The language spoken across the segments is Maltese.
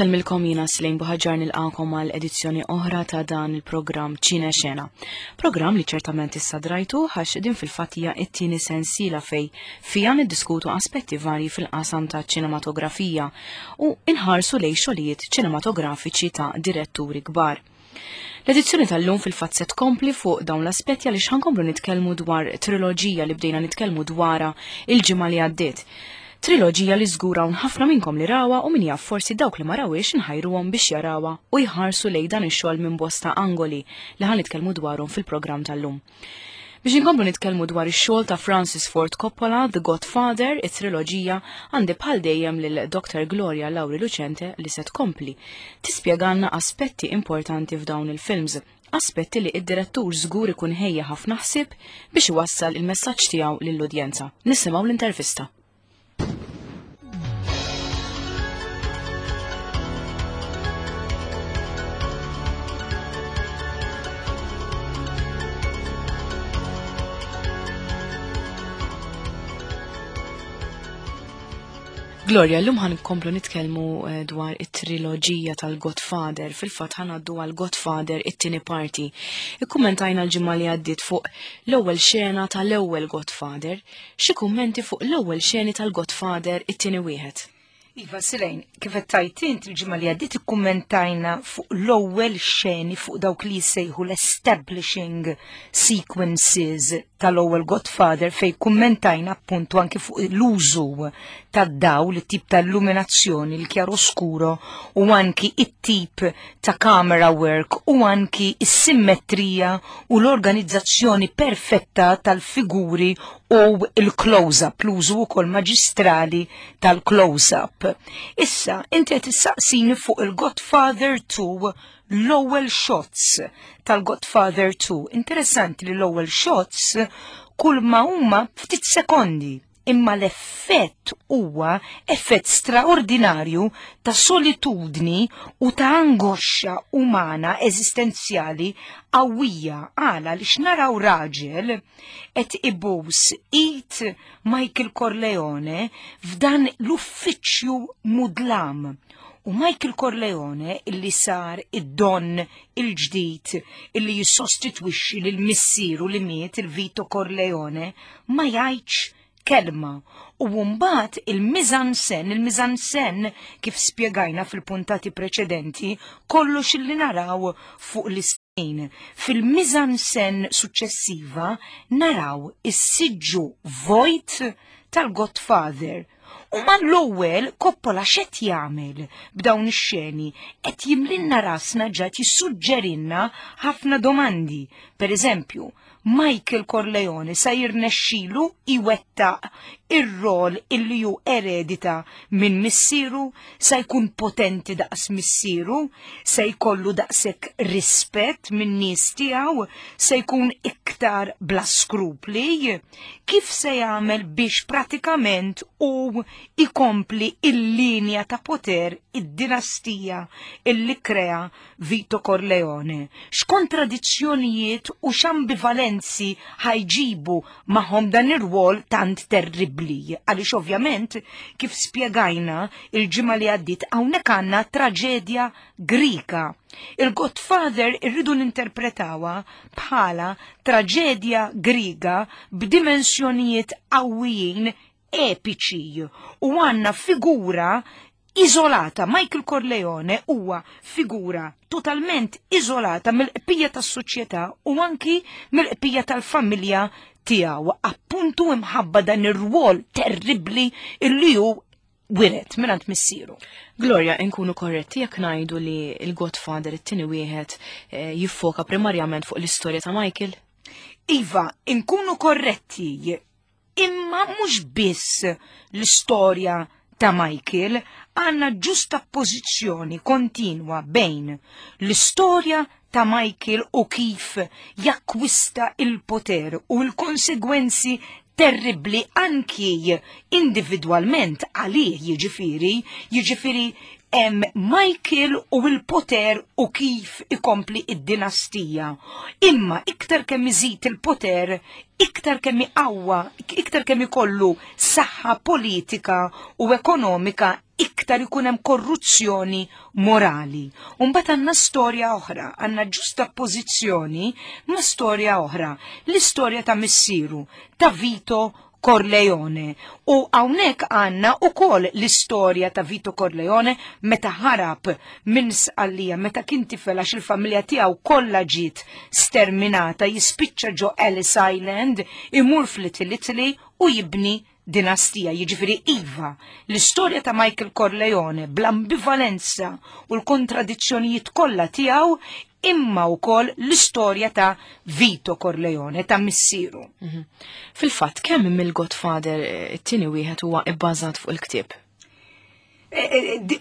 Insellmilkom jiena Slejn Buħaġar nilqakom għal edizzjoni oħra ta' dan il-programm Ċine Xena. Programm li ċertament issa drajtu għax din fil-fatt hija t-tieni sensiela fej fija niddiskutu aspetti varji fil-qasam ta' ċinematografija u inħarsu lej xogħlijiet ċinematografiċi ta' diretturi kbar. L-edizzjoni tal-lum fil-fatt se tkompli fuq dawn l-aspetti għaliex ħankomplu nitkellmu dwar triloġija li bdejna nitkellmu dwarha il-ġimgħa li għaddiet. Triloġija li żgur hawn ħafna minnkom li rawha u min jaf forsi dawk li ma rawhiex inħajruhom biex jarawha u jħarsu lejn dan ix-xogħol minn bosta angoli li ħa nitkellmu dwarhom fil-programm tal-lum. Biex inkomplu nitkellmu dwar ix-xogħol ta' Francis Ford Coppola, The Godfather, it-triloġija, għandi bħal dejjem lil Dr. Gloria Lauri Lucente li se tkompli tispjegalna aspetti importanti f'dawn il-films, aspetti li id-direttur żgur ikun ħejja ħafna ħsieb biex iwassal il-messaġġ tiegħu lill-udjenza. Nisimgħu l-intervista. Gloria, l-lum ħan komplu nitkellmu eh, dwar it-triloġija tal-Godfather. Fil-fatt ħan għaddu għal Godfather it-tieni parti. Ikkummentajna l-ġimgħa li għaddiet fuq l-ewwel xena tal-ewwel Godfather. Xi kummenti fuq l-ewwel xeni tal-Godfather it-tieni wieħed. Iva, Silejn, kif qed tgħid int il-ġimgħa li għaddiet ikkummentajna fuq l-ewwel xeni fuq dawk li jsejħu l-establishing sequences tal-ewwel Godfather fej kummentajna appuntu anki fuq l-użu tad-dawl, it-tip ta' illuminazzjoni, il-chiaroscuro u anki it-tip ta' camera work u anki s-simmetrija u l-organizzazzjoni perfetta tal-figuri u l-close-up, l-użu wkoll maġistrali tal-close-up. Issa, inti qed issaqsini fuq il-Godfather 2 l-ewwel shots tal-Godfather 2. Interessanti li l-ewwel shots kull ma huma ftit sekondi imma l-effett huwa effett straordinarju ta' solitudni u ta' angoxxa umana eżistenzjali qawwija għala li x'naraw raġel qed ibus id Michael Corleone f'dan l-uffiċċju mudlam. U Michael Corleone illi sar id-don il-ġdid illi jissostitwixxi lil missieru li miet il-Vito Corleone ma jgħidx kelma. U mbagħad il-mizansen, il-mizansen kif spjegajna fil-puntati preċedenti, kollox illi naraw fuq l-iscreen. Fil-mizansen suċċessiva naraw is-siġġu vojt tal-Godfather. U mal-ewwel Coppola x'qed jagħmel b'dawn ix-xeni? Qed jimlinna rasna ġa jissuġġerinna ħafna domandi. Per eżempju, Michael Corleone sa jirnexxilu jwettaq ir-rol illi hu eredita minn missieru, sa jkun potenti daqs missieru, se jkollu daqshekk rispett minn nies tiegħu, se jkun iktar bla skrupli, kif se jagħmel biex pratikament hu ikompli il-linja ta' poter id-dinastija illi krea Vito Corleone. X'kontradizzjonijiet u x'ambivalenzi ħajġibu magħhom dan ir-rwol tant terribbli. Għaliex ovvjament, kif spjegajna il-ġimgħa li għaddiet, hawnhekk għandna traġedja Grika. Il-Godfather irridu ninterpretawha bħala traġedja Griega b'dimensjonijiet qawwijin epiċi u għandna figura iżolata. Michael Corleone huwa figura totalment iżolata mill-qbija tas-soċjetà u anki mill-qbija tal-familja tiegħu, appuntu imħabba dan ir-rwol terribbli illi hu wiret mingħand missieru. Gloria, inkunu korretti jekk ngħidu li l-Godfather it-tieni wieħed eh, jiffoka primarjament fuq l-istorja ta' Michael? Iva, inkunu korretti Imma mhux biss l-istorja ta' Michael, għandna ġustappożizzjoni kontinwa bejn l-istorja ta' Michael u kif jakkwista il-poter u l-konsegwenzi terribbli anki individwalment għalih jiġifieri, jiġifieri. Hemm Michael u l-poter u kif ikompli id-dinastija. Imma iktar kemm iżid il-poter, iktar kemm iqawwa, iktar kemm ikollu saħħa politika u ekonomika, iktar ikun hemm korruzzjoni morali. U mbagħad għandna storja oħra, għandna ġustapożizzjoni ma' storja oħra, l-istorja ta' missieru, ta' Vito Corleone. U hawnhekk għandna ukoll l-istorja ta' Vito Corleone meta ħarab minn Sqallija, meta kien tifel għax il-familja tiegħu kollha ġiet sterminata, jispiċċa ġo Ellis Island, imur fl-Little Italy u jibni dinastija. Jiġifieri iva, l-istorja ta' Michael Corleone bl-ambivalenza u l-kontradizzjonijiet kollha tiegħu, imma wkoll l-istorja ta' Vito Corleone, ta' missieru. Fil-fatt, kemm mill-Godfather it-tieni wieħed huwa ibbażat fuq il-ktieb?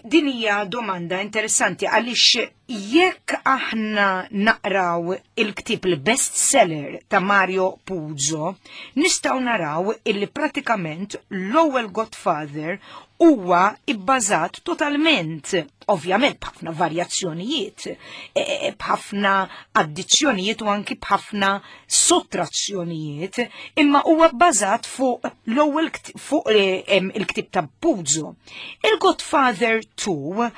Din hija domanda interessanti għaliex jekk aħna naqraw il-ktieb, il-best seller ta' Mario Puzo, nistgħu naraw illi pratikament l-ewwel Godfather huwa ibbażat totalment, ovvjament b'ħafna varjazzjonijiet, b'ħafna addizzjonijiet u anki b'ħafna sottrazzjonijiet, imma huwa bbażat fuq l-ewwel fuq il-ktieb ta' Puzo. Il-Godfather 2,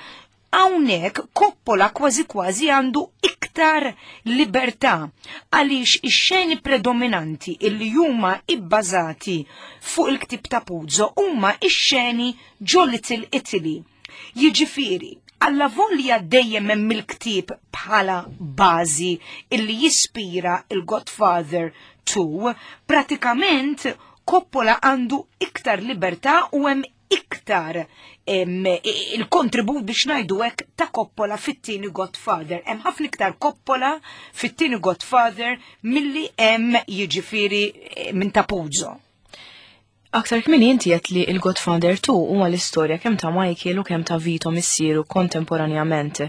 hawnhekk Coppola kważi kważi għandu iktar libertà għaliex ix-xeni predominanti illi huma ibbażati fuq il-ktieb ta' Puzo huma ix-xeni ġo Little Italy. Jiġifieri, alla volja dejjem hemm il-ktieb bħala bażi illi jispira il-Godfather 2, pratikament Coppola għandu iktar libertà u hemm iktar il-kontribut, biex ngħidu hekk, ta' Coppola fit-tieni Godfather. Hemm ħafna iktar Coppola fit-tieni Godfather milli hemm, jiġifieri, minn ta' Puzo. Aktar kmieni inti għedt li il-Godfather 2 huwa l-istorja kemm ta' Michael u kemm ta' Vito missieru kontemporanjament.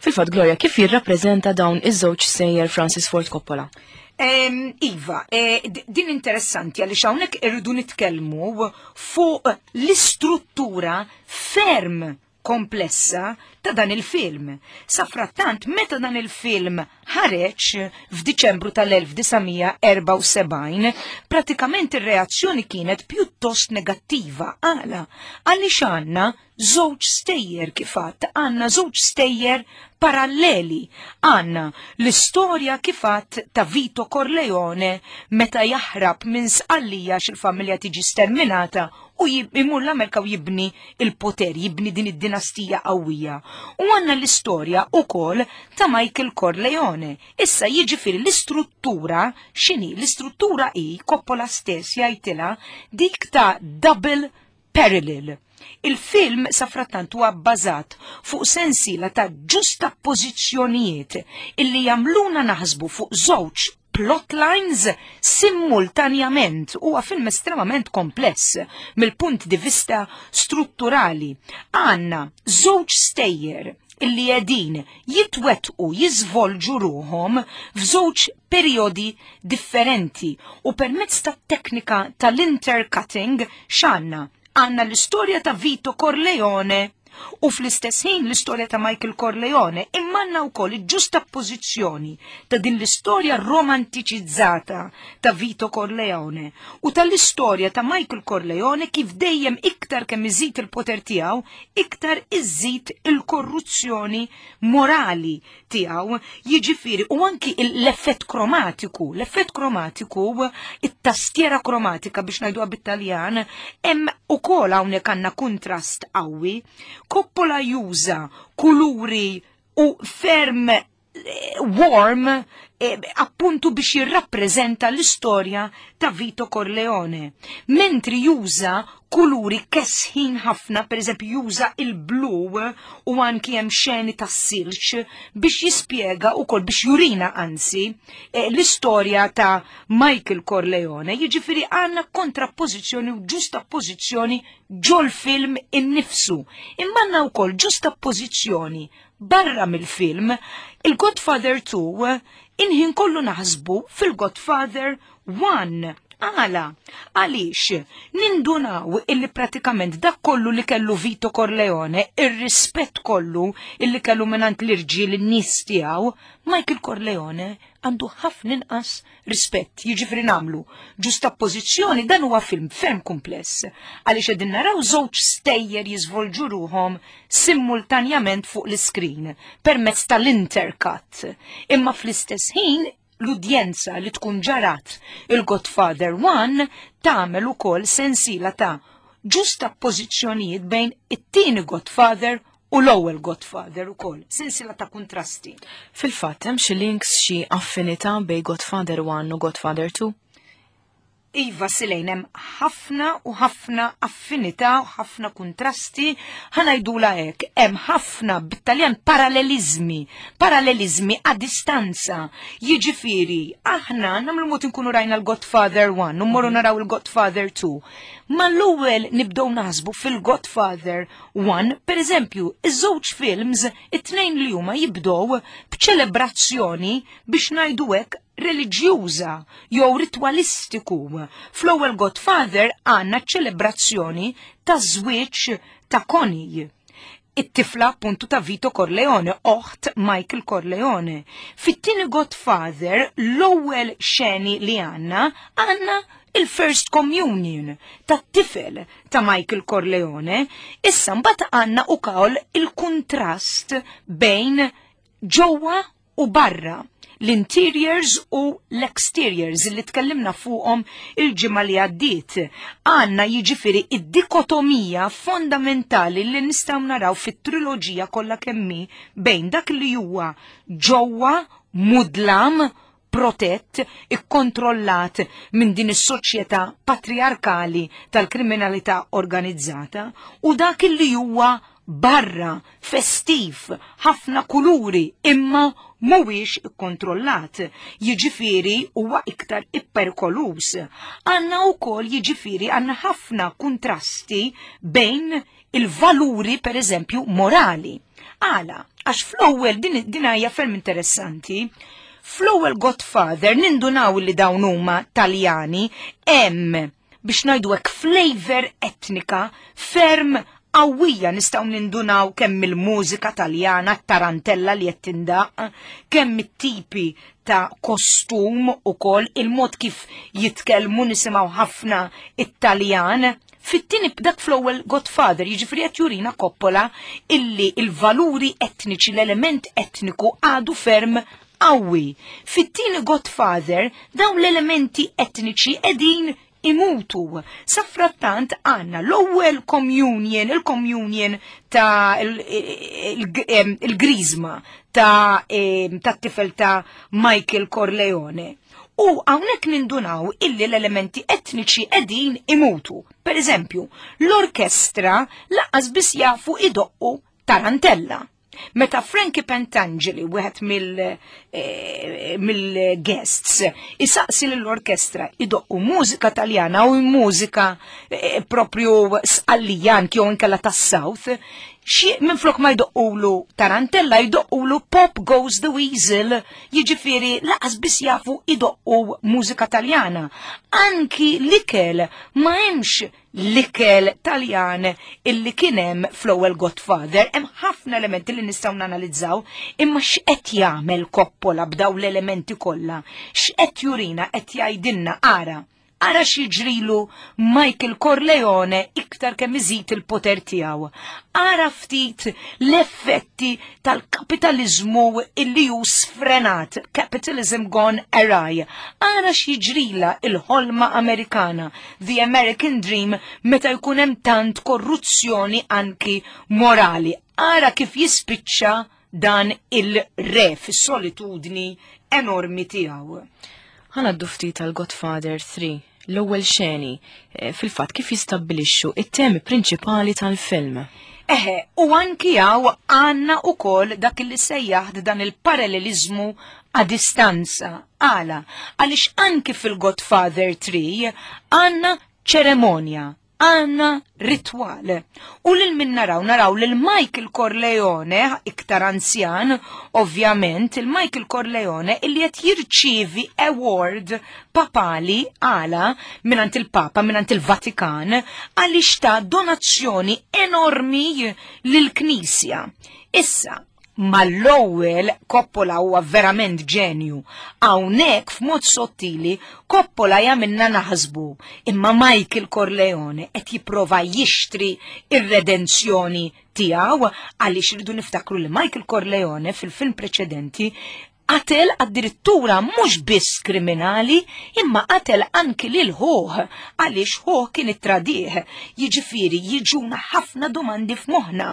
Fil-fatt, Gloria, kif jirrappreżenta dawn iż-żewġ sejjer Francis Ford Coppola? Iva, din interessanti għaliex hawnhekk irridu nitkellmu fuq l-istruttura ferm komplessa ta' dan il-film. Safrattant, meta dan il-film ħareġ f'Diċembru tal-1974, pratikament ir-reazzjoni kienet pjuttost negattiva. Għala? Għaliex għandna żewġ stejjer, kif għedt, għandna żewġ stejjer paralleli. Għandna l-istorja, kif għedt, ta' Vito Corleone meta jaħrab minn Sqallija x'il-familja tiġi sterminata u imur l-Amerika u jibni il-poter, jibni din id-dinastija qawwija. U għandna l-istorja ukoll ta' Michael Corleone. Issa, jiġifieri, l-istruttura x'inhi? L-istruttura hi, Coppola stess jgħidilha, dik ta' double parallel. Il-film safrattant huwa bbażat fuq sensiela ta' ġustappożizzjonijiet illi jagħmluna naħsbu fuq żewġ plotlines simultanjament. Huwa film estremament kompless mill-punt di vista strutturali. Għandna żewġ stejjer illi qegħdin jitwetqu, jiżvolġu ruħhom f'żewġ periodi differenti u permezz tat-teknika tal-intercutting x'għandna? Għandna l-istorja ta' Vito Corleone u fl-istess ħin l-istorja ta' Michael Corleone, imma għandna wkoll il-ġustappożizzjoni ta' din l-istorja romantiċizzata ta' Vito Corleone u tal-istorja ta' Michael Corleone, kif dejjem iktar kemm iżid il-poter tiegħu, iktar iżid il-korruzzjoni morali tiegħu, jiġifieri, u anki l-effett kromatiku, l-effett kromatiku, it-tastiera kromatika, biex ngħiduha bit-Taljan, hemm ukoll hawnhekk għandna kuntrast qawwi. Coppola juża kuluri u ferm warm appuntu biex jirrappreżenta l-istorja ta' Vito Corleone. Mentri juża kuluri kesħin ħafna, per eżempju juża il-blu u anki hemm xeni ta' silġ biex jispjega ukoll, biex jurina anzi, l-istorja ta' Michael Corleone. Jiġifieri għandna kontrappożizzjoni u ġustappożizzjoni ġol-film innifsu. Imma għandna wkoll ġustappożizzjoni barra mill-film. Il-Godfather 2, inħin kollu naħsbu fil-Godfather 1. Għala, għaliex nindunaw illi pratikament dak kollu li kellu Vito Corleone, ir-rispett kollu illi kellu mingħand l-irġiel in-nies tiegħu, Michael Corleone għandu ħafna inqas rispett, jiġifieri nagħmlu ġustappożizzjoni dan huwa film ferm kumpless għaliex qegħdin naraw żewġ stejjer jiżvolġu ruhom simultanjament fuq l-iskrin permezz tal-intercut. Imma fl-istess ħin l-udjenza li tkun ġarat il-Godfather 1 tagħmel ukoll sensiela ta' ġustappożizzjonijiet bejn it-tieni Godfather u l-ewwel Godfather ukoll, sensiela ta' kuntrasti. Fil-fatt hemm xi links xi affinità bejn Godfather 1 u Godfather 2? Iva Silejn hemm ħafna u ħafna affinità u ħafna kuntrasti, ħa ngħidulha hekk, hemm ħafna bit-Taljan parallelizmi, parallelizmi a distanza. Jiġifieri, aħna nagħmlu mod inkunu rajna l-Godfather 1 u mmorru naraw il-Godfather 2. Mal-ewwel nibdew naħsbu fil-Godfather 1, per eżempju, iż-żewġ films, it-tnejn li huma jibdew b'ċelebrazzjoni biex ngħidu hekk reliġjuża jew ritwalistiku. Fl-ewwel Godfather għandna ċelebrazzjoni ta' żwieġ ta' Connie. It-tifla appuntu ta' Vito Corleone, oħt Michael Corleone. Fit-tieni Godfather, l-ewwel xeni li għandna, għandna il-First Communion tat-tifel ta' Michael Corleone. Issa mbagħad għandna ukoll il-kuntrast bejn ġewwa u barra, l-interiors u l-exteriors li tkellimna fuqhom il-ġimgħa li għaddiet. Għandna jiġifieri id-dikotomija fondamentali li nistgħu naraw fit-triloġija kollha kemm hi bejn dak li huwa ġewwa mudlam protett, ikkontrollat minn din is-soċjetà patriarkali tal-kriminalità organizzata u dak li huwa barra, festiv, ħafna kuluri, imma mhuwiex ikkontrollat. Jiġifieri huwa iktar ipperikoluż. Għandna wkoll jiġifieri għandna ħafna kuntrasti bejn il-valuri pereżempju morali. Għala, għax fl-ewwel din din hija ferm interessanti, fl-ewwel Godfather nindunaw li dawn huma Taljani hemm biex ngħidu hekk flavor etnika ferm qawwija nistgħu nindunaw kemm il-mużika Taljana, tarantella li qed tindaq, kemm it-tipi ta' kostum ukoll, il-mod kif jitkellmu nisimgħu ħafna it-Taljan. Fit-tieni dak fl-ewwel Godfather, jiġifieri qed jurina Coppola illi il-valuri etniċi, l-element etniku għadu ferm qawwi. Fit-tieni Godfather dawn l-elementi etniċi qegħdin imutu. Safrattant għandna l-ewwel communion, il-communion ta' il-grizma ta' tat-tifel ta' Michael Corleone. U hawnhekk nindunaw illi l-elementi etniċi qegħdin imutu. Per eżempju, l-orkestra lanqas biss jafu idoqqu tarantella. Meta Frankie Pentangeli, wieħed mill-guests, isaqsi lill-orkestra idoqqu mużika Taljana u mużika propju Sqallijan jew inkella tas-South, xi minflok ma jdoqqulu tarantella jdoqqulu Pop Goes the Weasel, jiġifieri lanqas biss jafu idoqqu mużika Taljana. Anki l-ikel ma hemmx l-ikel Taljan illi kien hemm fl-ewwel Godfather, hemm ħafna elementi li nistgħu nanalizzaw, imma x'qed jagħmel Coppola b'daw l-elementi kollha? X'qed jurina qed jgħidilna ara Ara x'jiġrilu Michael Corleone iktar kemm iżid il-poter tiegħu. Ara ftit l-effetti tal-kapitaliżmu illi hu sfrenat, capitalism gone awry. Ara x'jiġrila il-ħolma Amerikana, the American Dream, meta jkun hemm tant korruzzjoni anki morali. Ara kif jispiċċa dan il-re fis-solitudni enormi tiegħu. Ħa ngħaddu ftit għal Godfather 3, l-ewwel xeni, fil-fatt kif jistabbilixxu it-temi prinċipali tal-film. Eħe, u anki hawn għandna ukoll dak li sejjaħt dan il-parallelizmu a distanza. Għala, għaliex anki fil-Godfather 3 għandna ċeremonja. Għandna ritwal. U lil min naraw? Naraw lil Michael Corleone, iktar anzjan, ovvjament, il-Michael Corleone illi qed jirċievi award papali għala mingħand il-Papa, mingħand il-Vatikan, għaliex ta' donazzjoni enormi lill-Knisja. Issa, mal-ewwel Coppola huwa verament ġenju. Hawnhekk f'mod sottili Coppola jagħmilna naħsbu imma Michael Corleone qed jipprova jixtri ir-redenzjoni tiegħu għaliex irridu niftakru li Michael Corleone fil-film preċedenti Qatel addirittura mhux biss kriminali imma qatel anki lil ħuh għaliex ħuh kien ittradih. Jiġifieri jiġuna ħafna domandi f'moħħna.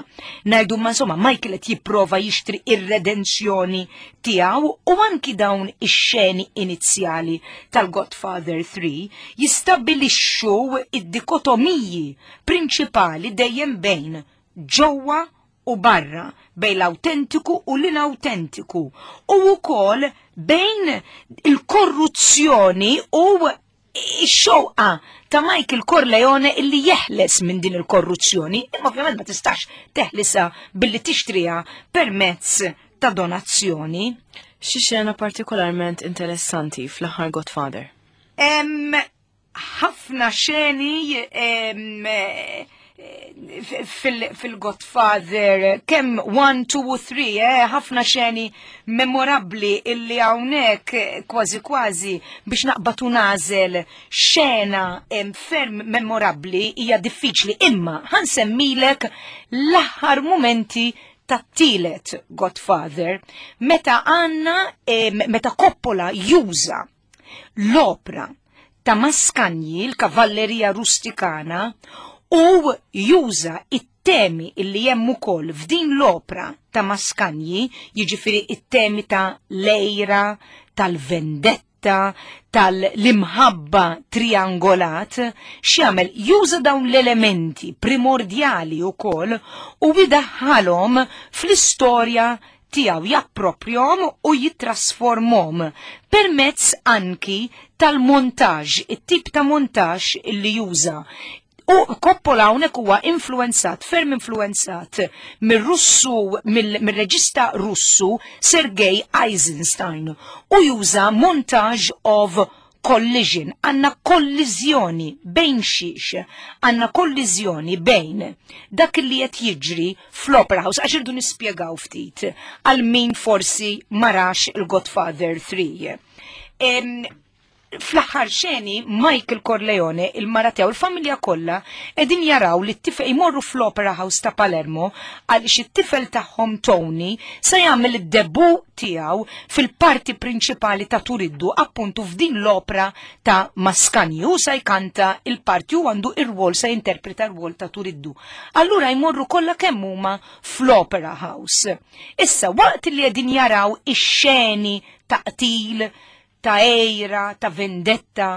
Ngħidu ma insomma Michael qed jipprova jixtri ir-redenzjoni tiegħu u anki dawn ix-xeni inizjali tal-Godfather 3 jistabbilixxu id-dikotomiji prinċipali dejjem bejn ġewwa u barra, bejn l-awtentiku u l-inawtentiku, u wkoll bejn il-korruzzjoni u x-xewqa ta' Michael Corleone illi jeħles minn din il-korruzzjoni, imma ovvjament ma tistax teħlisa billi tixtriha permezz ta' donazzjoni. Xi xena partikolarment interessanti fl-aħħar Godfather? Ħafna xeni fil-Godfather, kemm 1, 2 u 3, eh, ħafna xeni memorabbli illi hawnhekk kważi kważi biex naqbad u nażel xena ferm memorabbli hija diffiċli, imma ħansemmilek l-aħħar mumenti tat-tielet Godfather meta għandna meta Coppola juża l-opra ta' Mascagni, l-Kavallerija Rustikana, u juża it-temi illi hemm ukoll f'din l-opra ta' Mascagni, jiġifieri it-temi ta' l-għira, tal-vendetta, tal-imħabba triangolat, x'jagħmel? Juża dawn l-elementi primordjali wkoll u idaħħalhom fl-istorja tiegħu japproprjahom u jittrasformhom permezz anki tal-montaġġ, it-tip ta' montaġġ li juża. U Coppola hawnhekk huwa influwenzat, ferm influwenzat mir-Russu, mir-reġista Russu Sergei Eisenstein u juża montage of collision, għandna kolliżjoni bejn xiex, għandna kolliżjoni bejn dak li qed jiġri fl-Opera House, għax irdu nispjegaw ftit għal min forsi marax il-Godfather 3. Fl-aħħar xeni Michael Corleone, il-mara tiegħu, il-familja kollha qegħdin jaraw li t-tifel jmorru fl-Opera House ta' Palermo għaliex it-tifel tagħhom Tony se jagħmel id-debu tiegħu fil-parti prinċipali ta' Turiddu appuntu f'din l-opra ta' Mascagni. Hu sa jkanta il-parti u għandu ir-rwol sa jinterpreta r-rwol ta' Turiddu. Allura jmorru kollha kemm huma fl-Opera House. Issa waqt li qegħdin jaraw ix-xeni ta' qtil, ta' għejra, ta' vendetta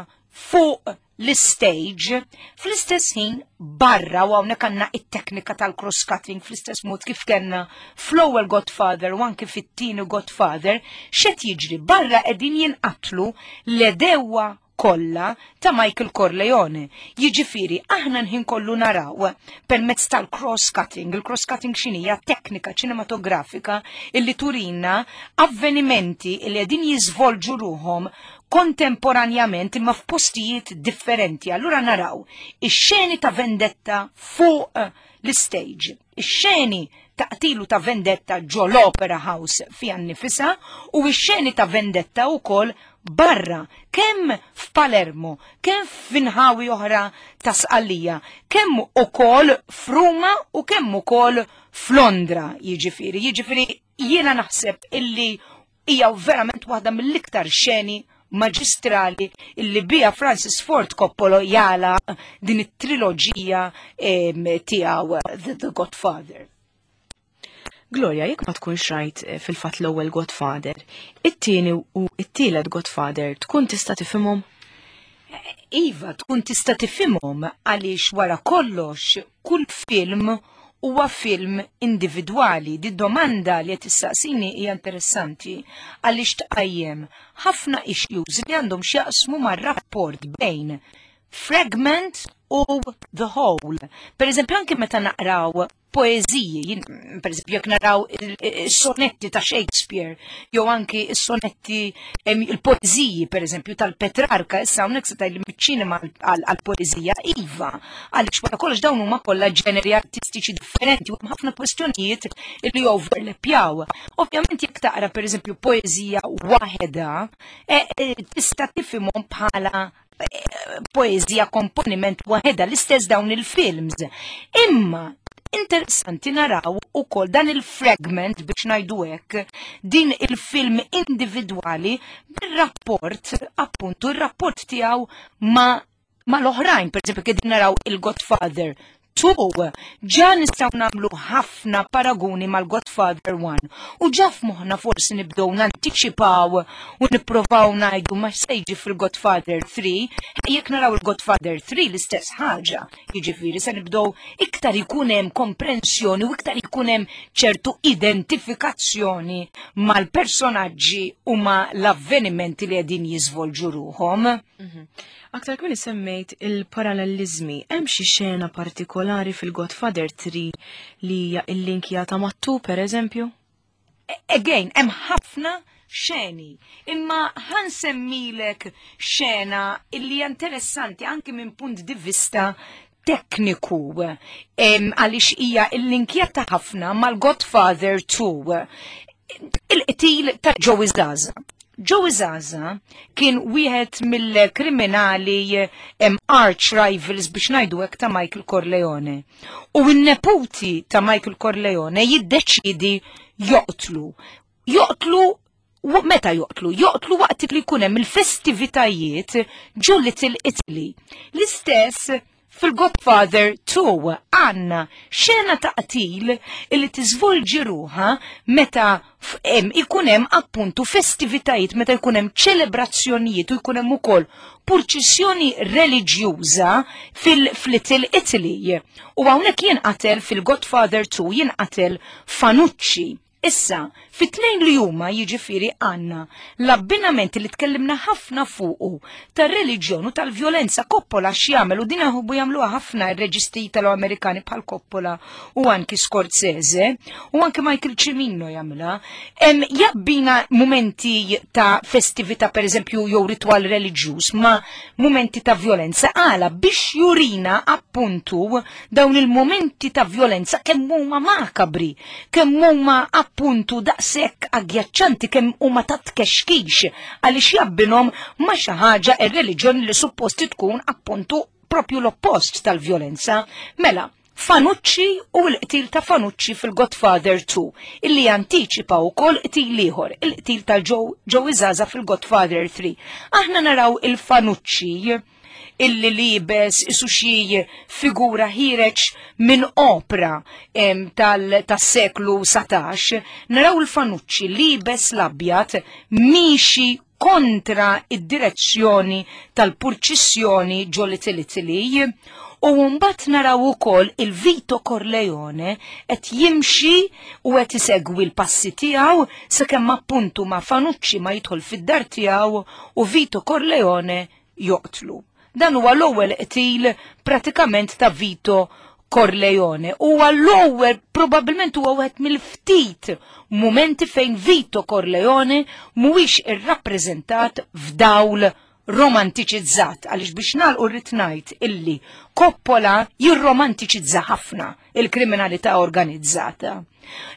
fuq l-istage, fl-istess ħin barra u hawnhekk għandna it-teknika tal-cross-cutting fl-istess mod kif kellna fl-ewwel Godfather u anki fit-tieni Godfather, x'qed jiġri barra qegħdin jinqatlu l-edewwa kollha ta' Michael Corleone. Jiġifieri aħna nħin kollu naraw permezz tal-cross-cutting, il-cross-cutting x'inhija teknika ċinematografika illi turina avvenimenti li qegħdin jiżvolġu ruhom kontemporanjament imma f'postijiet differenti. Allura naraw ix-xeni ta' vendetta fuq l-istage, ix-xeni ta' qtilu ta' vendetta ġo l-Opera House fiha nnifisha u x-xeni ta' vendetta wkoll barra, kemm f'Palermo, kemm f'inħawi oħra ta' Sqallija, kemm ukoll f'Ruma u kemm ukoll f'Londra, jiġifieri. Jiġifieri jiena naħseb illi hija verament waħda mill-iktar xeni maġistrali illi biha Francis Ford Coppola jala din it-triloġija tiegħu The Godfather. Gloria, jekk ma tkunx rajt eh, fil-fatt l-ewwel Godfather, it-tieni u t-tielet Godfather tkun tista' tifhimhom? Iva, tkun tista' tifhimhom għaliex wara kollox kull film huwa film individwali. Di domanda li qed issaqsini hija interessanti għaliex tqajjem ħafna issues li għandhom x'jaqsmu mar-rapport bejn Fragment u the whole. Per eżempju, anke meta naqraw poeżiji, per eżempju, jekk naraw is-sonetti ta' Shakespeare, jew anki is-sonetti il-poeżiji, per eżempju, tal-Petrarka, issa hawnhekk se tgħidli miċ-ċinema għall-poeżija, iva, għaliex wara kollox dawn huma kollha ġeneri artistiċi differenti u hemm ħafna kwestjonijiet li overlappjaw. Ovvjament jekk taqra per eżempju poeżija waħedha, e, e, tista' tifhimhom bħala poeżija komponiment waħedha l-istess dawn il-films. Imma interessanti naraw ukoll dan il-fragment biex ngħidu hekk, din il-film individwali bir-rapport appuntu ir-rapport tiegħu ma' mal-oħrajn, per eżempju, qegħdin naraw il-Godfather 2, ġa nistgħu nagħmlu ħafna paraguni mal-Godfather 1 u ġa f'moħħna forsi nibdew nantiċipaw u nipprovaw ngħidu ma se jiġi fil-Godfather 3, jekk naraw il-Godfather 3 l-istess ħaġa, jiġifieri se nibdew iktar ikun hemm komprensjoni u iktar ikun hemm ċertu identifikazzjoni mal-personaġġi u ma l-avvenimenti li qegħdin jiżvolġu ruħhom. Mhm. Aktar kmini semmejt il-parallelizmi, hemm xi xena partikolari fil-Godfather 3 li hija illinkjata mat-2 per eżempju? Again, hemm ħafna xeni. Imma ħansemmilek xena illi hija interessanti anki minn punt di vista tekniku għaliex hija illinkjata ħafna mal-Godfather 2. Il-qtil ta' Joey Zaza. Joey Zaza kien wieħed mill-kriminali arch rivals biex ngħidu hekk ta' Michael Corleone. U n-neputi ta' Michael Corleone jiddeċidi joqtlu. Joqtlu meta joqtlu? Joqtlu waqt li jkun hemm il-festivitajiet ġo Little Italy. L-istess fil-Godfather 2 għandna xena ta' qtil li tiżvolġi ruħha meta ikun hemm appuntu festivitajiet, meta jkun hemm ċelebrazzjonijiet u jkun hemm ukoll purċissjoni reliġjuża fil-Little Italy. U hawnhekk jinqatel fil-Godfather 2 jinqatel Fanucci. Issa, fit-tnejn li huma jiġifieri għandna l-abbinament li tkellimna ħafna fuqu tar-reliġjon u tal-vjolenza. Coppola x'jagħmel u din jaħbu jagħmluha ħafna r-reġisti Italo-Amerikani bħal Coppola u anki Scorsese u anki Michael Cimino jagħmilha. Jabbina mumenti ta' festività pereżempju jew ritwal reliġjuż ma' mumenti ta' vjolenza għala biex jurina appuntu dawn il-mumenti ta' vjolenza kemm huma makabri kemm huma appuntu daqshekk aggjaċċanti, kemm huma ta' tkexkix għaliex jabbinhom ma' xi ħaġa ir-reliġjoni li supposti tkun appuntu propju l-oppost tal-vjolenza. Mela, Fanucci u l-qtil ta' Fanucci fil-Godfather 2, illi jantiċipa wkoll qtil ieħor, il-qtil ta' Joe Zaza fil-Godfather 3. Aħna naraw il-Fanucci illi libes isu xi figura ħireġ minn opra tas-seklu 19, naraw il-Fanucci libes l-abjad miexi kontra id-direzzjoni tal-purċissjoni ġo Little Italy u mbagħad naraw ukoll il-Vito Corleone qed jimxi u qed isegwi l-passi tiegħu sakemm appuntu ma Fanucci ma jidħol fid-dar tiegħu u Vito Corleone joqtlu. Dan huwa l-ewwel qtil pratikament ta' Vito Corleone. Huwa l-ewwel probabbilment huwa wieħed mill-ftit mumenti fejn Vito Corleone mhuwiex irrappreżentat f'dawl romantiċizzat għaliex biex nagħlqu rrid ngħid illi Coppola jirromantiċizza ħafna il-kriminalità organizzata.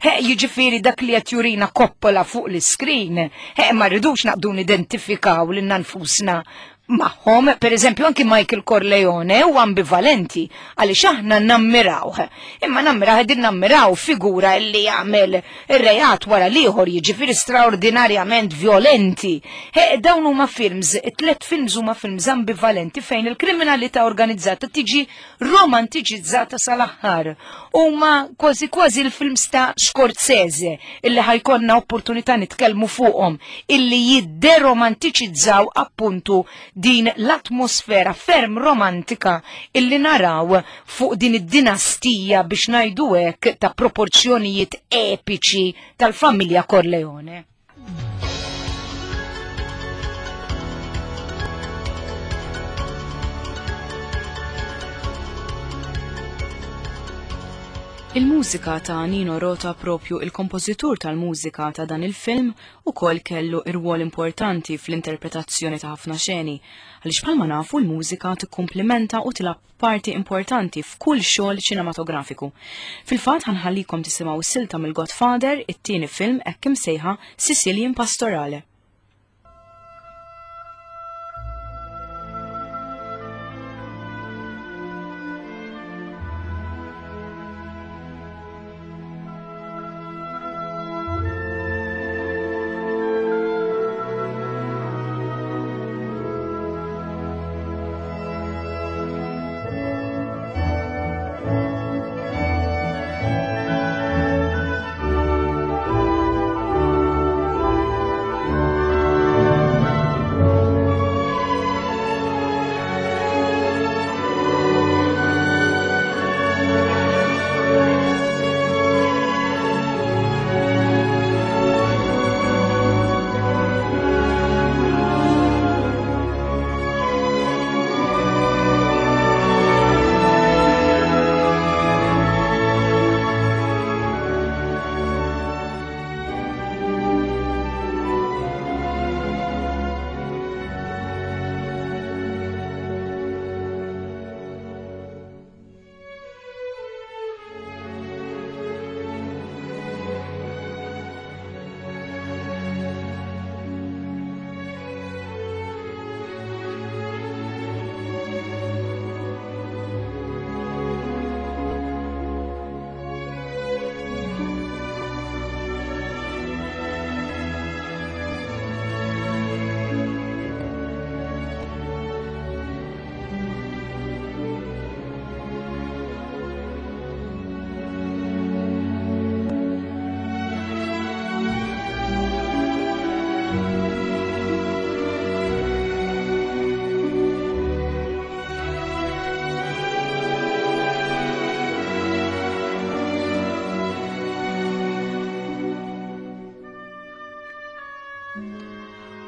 He, jiġifieri dak li qed jurina Coppola fuq l-iskrin, he, ma rridux naqdu nidentifikaw lilna nfusna magħhom, per eżempju anki Michael Corleone u ambivalenti għaliex aħna nammirawh. Imma nammiraw qegħdin nammiraw figura li jagħmel ir-reat wara l-ieħor jiġifieri straordinarjament violenti. He, dawn huma films, it-tlet films huma films ambivalenti fejn il-kriminalità organizzata tiġi romantiċizzata sal-aħħar. Huma kważi kważi l-films ta' Scorsese illi ħajkonna opportunità nitkellmu fuqhom illi jidderomantiċizzaw appuntu din l-atmosfera ferm romantika illi naraw fuq din id-dinastija biex ngħidu hekk ta' proporzjonijiet epiċi tal-familja Corleone. Il-mużika ta' Nino Rota propju il-kompożitur tal-mużika ta' dan il-film ukoll kellu irwol importanti fl-interpretazzjoni ta' ħafna xeni, għaliex bħalma nafu l-mużika tikkumplimenta u tilgħab parti importanti f'kull xogħol ċinematografiku. Fil-fatt ħanħallikom tisimgħu silta mill-Godfather, it-tieni film hekk imsejħa Sicilian Pastorale.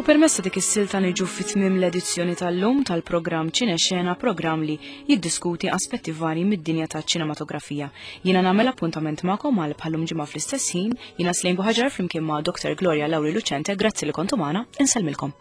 U permessa dik is-silta niġu fi tmiem l-edizzjoni tal-lum tal-programm Ċine Xena, programm li jiddiskuti aspetti varji mid-dinja taċ-ċinematografija. Jiena nagħmel appuntament magħkom għal bħallum ġimgħa fl-istess ħin, jiena Slejn Buħaġar flimkien ma' Dr. Gloria Lauri Lucente, grazzi li kontu magħna, insellmilkom.